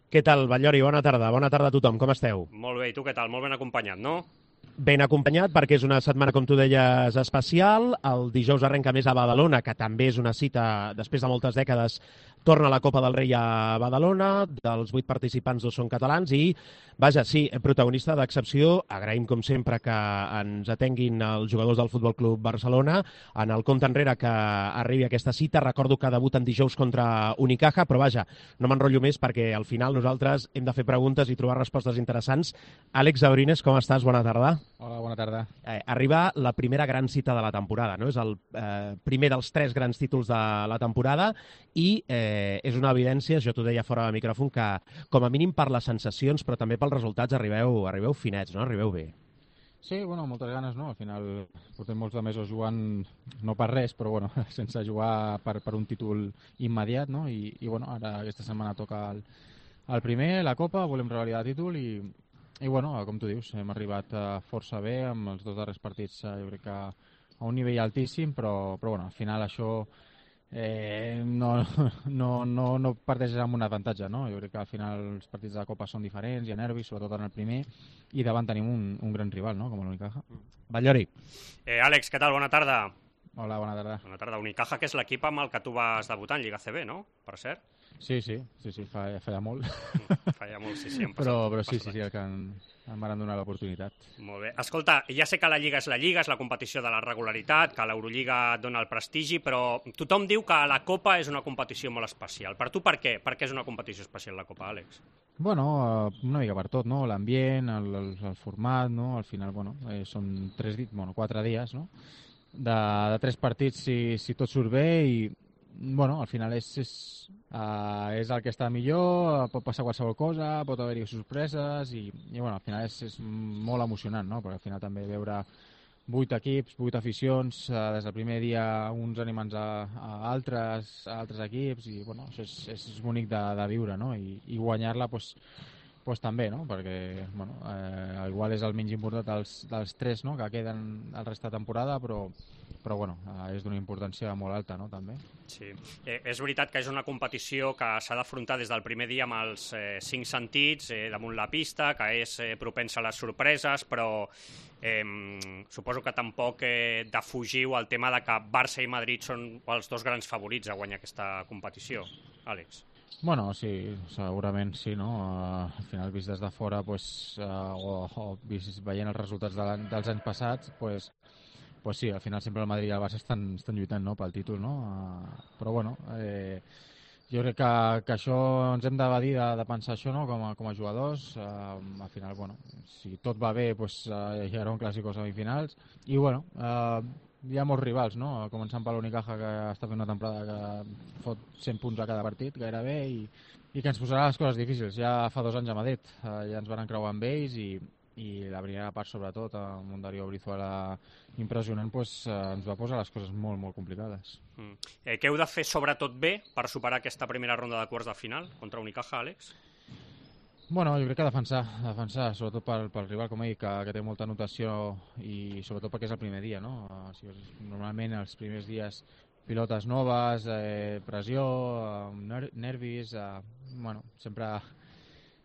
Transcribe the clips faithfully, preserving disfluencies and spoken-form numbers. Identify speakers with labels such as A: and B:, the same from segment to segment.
A: Què tal, Batllori? Bona tarda. Bona tarda a tothom. Com esteu?
B: Molt bé, i tu què tal? Molt ben acompanyat, no?
A: Ben acompanyat perquè és una setmana, com tu deies, especial. El dijous arrenca més a Badalona, que també és una cita, després de moltes dècades, torna la Copa del Rei a Badalona. Dels vuit participants, dos són catalans i, vaja, sí, protagonista d'excepció. Agraïm, com sempre, que ens atenguin els jugadors del Futbol Club Barcelona en el compte enrere que arribi aquesta cita. Recordo que debuten dijous contra Unicaja, però vaja, no m'enrotllo més perquè al final nosaltres hem de fer preguntes i trobar respostes interessants. Àlex Abrines, com estàs? Bona tarda.
C: Hola, bona tarda.
A: Eh, arriba la primera gran cita de la temporada, no? És el eh, primer dels tres grans títols de la temporada i eh, és una evidència, jo t'ho deia fora de micròfon, que com a mínim per les sensacions, però també pels resultats arribeu, arribeu finets, no? Arribeu bé.
C: Sí, bueno, moltes ganes, no? Al final portem molts de mesos jugant, no per res, però bueno, sense jugar per, per un títol immediat, no? I, i bueno, ara aquesta setmana toca el, el primer, la Copa, volem revalidar el títol i, i bueno, com tu dius, hem arribat força bé amb els dos darrers partits, jo crec que a un nivell altíssim, però, però bueno, al final això eh, no, no, no, no parteix amb un avantatge, no? Jo crec que al final els partits de la Copa són diferents, hi ha nervis, sobretot en el primer, i davant tenim un, un gran rival, no? Com l'Unicaja.
A: Batllori.
B: Eh, Àlex, què tal? Bona tarda.
C: Hola, bona tarda.
B: Bona tarda. Unicaja, que és l'equip amb el que tu vas debutar en Lliga C B, no? Per cert.
C: Sí, sí, sí, sí, fa, feia molt.
B: Feia molt, sí, sí.
C: Però, però sí, sí, sí, el que en, em van donar l'oportunitat.
B: Molt bé. Escolta, ja sé que la Lliga és la Lliga, és la competició de la regularitat, que l'Eurolliga dona el prestigi, però tothom diu que la Copa és una competició molt especial. Per tu per què? Per què és una competició especial la Copa, Àlex?
C: Bueno, una mica per tot, no? L'ambient, el, el, el format, no? Al final, bueno, eh, són tres, bueno, quatre dies, no? De, de tres partits si, si tot surt bé i bueno, al final és, és, uh, és el que està millor, pot passar qualsevol cosa, pot haver-hi sorpreses i, i bueno, al final és, és molt emocionant, no? Perquè al final també veure vuit equips, vuit aficions, uh, des del primer dia uns animants a, a, altres, a altres equips i bueno, això és, és bonic de, de viure, no? I, i guanyar-la pues, pues també, no? Perquè bueno, eh, igual és el menys important dels, dels tres, no? Que queden el rest de temporada, però però bueno, és d'una importància molt alta, no, també.
B: Sí, eh, és veritat que és una competició que s'ha d'afrontar des del primer dia amb els eh, cinc sentits eh, damunt la pista, que és eh, propensa a les sorpreses, però eh, suposo que tampoc eh, defugiu el tema de que Barça i Madrid són els dos grans favorits a guanyar aquesta competició, Àlex.
C: Bueno, sí, segurament sí, no? Uh, al final, vist des de fora, pues, uh, o, o vist veient els resultats de dels anys passats, pues, pues sí, al final sempre el Madrid i el Barça estan, estan lluitant, no?, pel títol, no? Uh, però bueno, eh, jo crec que, que això ens hem d'evadir de, de pensar això, no?, com a, com a jugadors. Uh, al final, bueno, si tot va bé, pues, uh, hi haurà un clàssic o semifinals. I bueno, uh, hi ha molts rivals, no?, començant per l'Unicaja, que està fent una temporada que fot cent punts a cada partit, gairebé, i, i que ens posarà les coses difícils. Ja fa dos anys a Madrid, uh, ja ens van encreuar amb ells i i la primera part, sobretot, amb un Darío Brizuela impressionant, pues, eh, ens va posar les coses molt, molt complicades.
B: Mm. Eh, què heu de fer sobretot bé per superar aquesta primera ronda de quarts de final contra Unicaja, Àlex?
C: Bueno, jo crec que defensar, defensar sobretot pel, pel rival, com he dit, que, que té molta anotació i sobretot perquè és el primer dia, no? O sigui, normalment els primers dies pilotes noves, eh, pressió, eh, nervis, eh, bueno, sempre...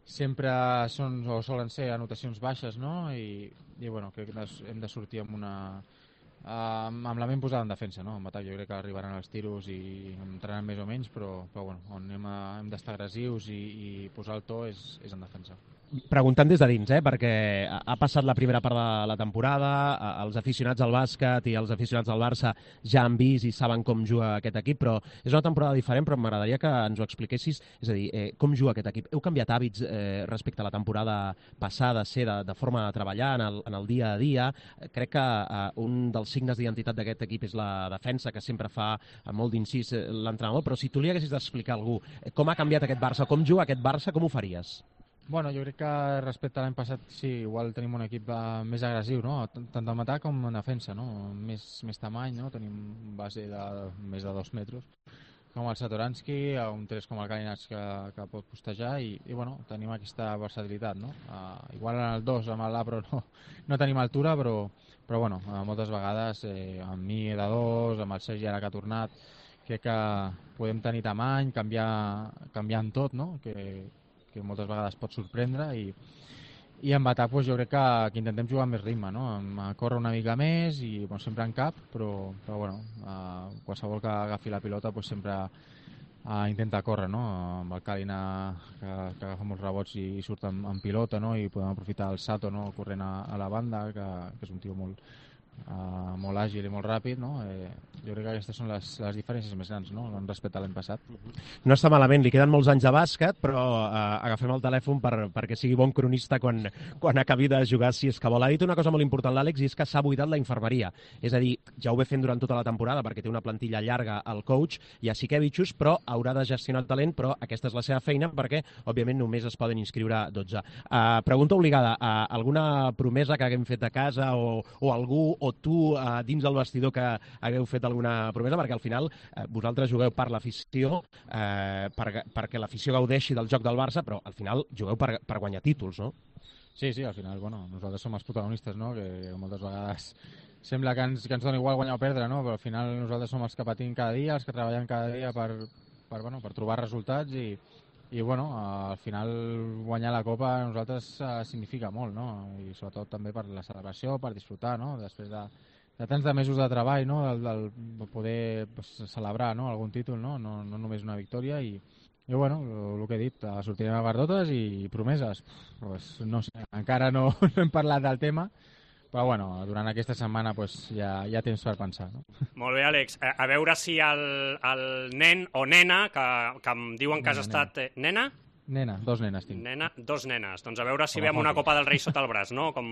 C: sempre són o solen ser anotacions baixes, no? I, i bueno, crec que hem de sortir amb una amb, amb la ment posada en defensa, no? En atac jo crec que arribaran els tiros i entraran més o menys, però, però bueno, on hem, hem d'estar agressius i, i posar el to és, és en defensa.
A: Preguntant des de dins, eh? Perquè ha passat la primera part de la temporada, els aficionats al bàsquet i els aficionats del Barça ja han vist i saben com juga aquest equip, però és una temporada diferent, però m'agradaria que ens ho expliquessis, és a dir, eh, com juga aquest equip. Heu canviat hàbits eh, respecte a la temporada passada, ser de, de forma de treballar en el, en el dia a dia. Crec que eh, un dels signes d'identitat d'aquest equip és la defensa, que sempre fa molt d'incís l'entrenador, però si tu li haguessis d'explicar a algú com ha canviat aquest Barça, com juga aquest Barça, com ho faries?
C: Bueno, jo crec que respecte a l'any passat sí, igual tenim un equip uh, més agressiu, no? Tant en atac com en defensa, no? Més, més tamany, no? Tenim un base de més de dos metres com el Satoransky, un tres com el Kalinach que, que pot postejar i, i bueno, tenim aquesta versatilitat, no? Uh, igual en el dos amb el Labro no, no tenim altura, però, però bueno, uh, moltes vegades eh, amb mi de dos, amb el Sergi ara que ha tornat, crec que podem tenir tamany, canviar, canviar en tot, no? Que, que moltes vegades pot sorprendre, i, i en atac pues, jo crec que, que intentem jugar amb més ritme, no? A córrer una mica més i bueno, sempre en cap, però, però bueno, uh, qualsevol que agafi la pilota pues, sempre uh, intenta córrer, no? Amb el Kalina que, que agafa molts rebots i, i surt en, en pilota, no? I podem aprofitar el Sato, no? Corrent a, a la banda, que, que és un tio molt, Uh, molt àgil i molt ràpid, no? Eh, jo crec que aquestes són les, les diferències més grans, no? Respecte a l'any passat.
A: No està malament, li queden molts anys de bàsquet, però uh, agafem el telèfon per, perquè sigui bon cronista quan, quan acabi de jugar, si és que vol. Ha dit una cosa molt important l'Àlex, i és que s'ha buidat la infermeria. És a dir, ja ho ve fent durant tota la temporada, perquè té una plantilla llarga al coach, i a Siquevichus, però haurà de gestionar el talent, però aquesta és la seva feina, perquè, òbviament, només es poden inscriure dotze. Uh, pregunta obligada, uh, alguna promesa que haguem fet a casa o, o algú o tu eh, dins del vestidor que hagueu fet alguna promesa, perquè al final eh, vosaltres jugueu per l'afició, eh, per, perquè l'afició gaudeixi del joc del Barça, però al final jugueu per, per guanyar títols, no?
C: Sí, sí, al final, bueno, nosaltres som els protagonistes, no? Que moltes vegades sembla que ens, que ens dona igual guanyar o perdre, no? Però al final nosaltres som els que patim cada dia, els que treballem cada dia per, per, bueno, per trobar resultats i, i bueno, al final guanyar la Copa a nosaltres uh, significa molt, no? I sobretot també per la celebració, per disfrutar, no? Després de, de tants de mesos de treball, no? Del, del poder pues, celebrar, no? Algun títol, no? No, no només una victòria i, i bueno, el que he dit, sortirem a Bardotes i promeses, pues, no sé, encara no, no hem parlat del tema, però bueno, durant aquesta setmana pues, ja, ja tens per pensar. No?
B: Molt bé, Àlex. A, a veure si el, el nen o nena, que, que em diuen que has
C: Nena,
B: estat... Eh, nena?
C: Nena, dos nenes tinc.
B: Nena, dos nenes. Doncs a veure si
C: Com a
B: veiem una
C: hockey.
B: Copa del Rei sota el braç, no? Com,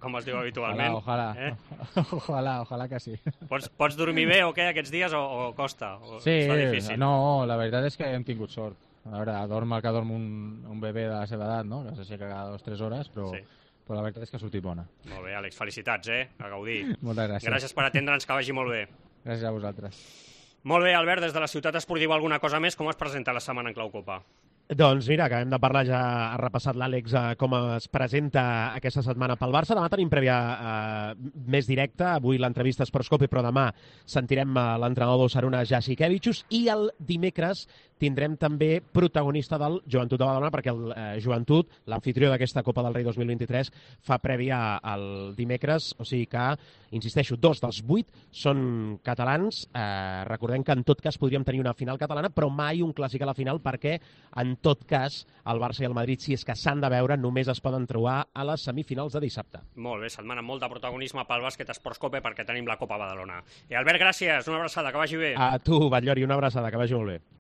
B: com es diu habitualment.
C: Ojalà, ojalà.
B: Eh?
C: Ojalà, ojalà que sí.
B: Pots, pots dormir bé o què aquests dies o, o costa? O
C: Sí,
B: està difícil?
C: no, la veritat és que hem tingut sort. A veure, dorm el que dorm un, un bebè de la seva edat, no? Que s'aixeca cada dues o tres hores, però...
B: Sí.
C: Però la veritat és que ha sortit bona.
B: Molt bé, Àlex, felicitats, eh? A gaudir.
C: Moltes gràcies.
B: Gràcies per atendre'ns, que vagi molt bé.
C: Gràcies a vosaltres.
B: Molt bé, Albert, des de la ciutat esportiva alguna cosa més? Com es presenta la setmana en Clau Copa?
A: Doncs mira, acabem de parlar, ja ha repassat l'Àlex eh, com es presenta aquesta setmana pel Barça. Demà tenim prèvia eh, més directa, avui l'entrevista a Sportscope, però demà sentirem eh, l'entrenador d'Osasuna, Jasikevičius, i el dimecres tindrem també protagonista del Joventut de Badalona, perquè el eh, Joventut, l'anfitrió d'aquesta Copa del Rei dos mil vint-i-tres, fa prèvia al dimecres, o sigui que, insisteixo, dos dels vuit són catalans. Eh, recordem que en tot cas podríem tenir una final catalana, però mai un clàssic a la final, perquè en tot cas el Barça i el Madrid, si és que s'han de veure, només es poden trobar a les semifinals de dissabte.
B: Molt bé, setmana molt de protagonisme pel bàsquet Sportscope, perquè tenim la Copa Badalona. I Albert, gràcies, una abraçada, que vagi bé.
A: A tu, Batllori, una abraçada, que vagi molt bé.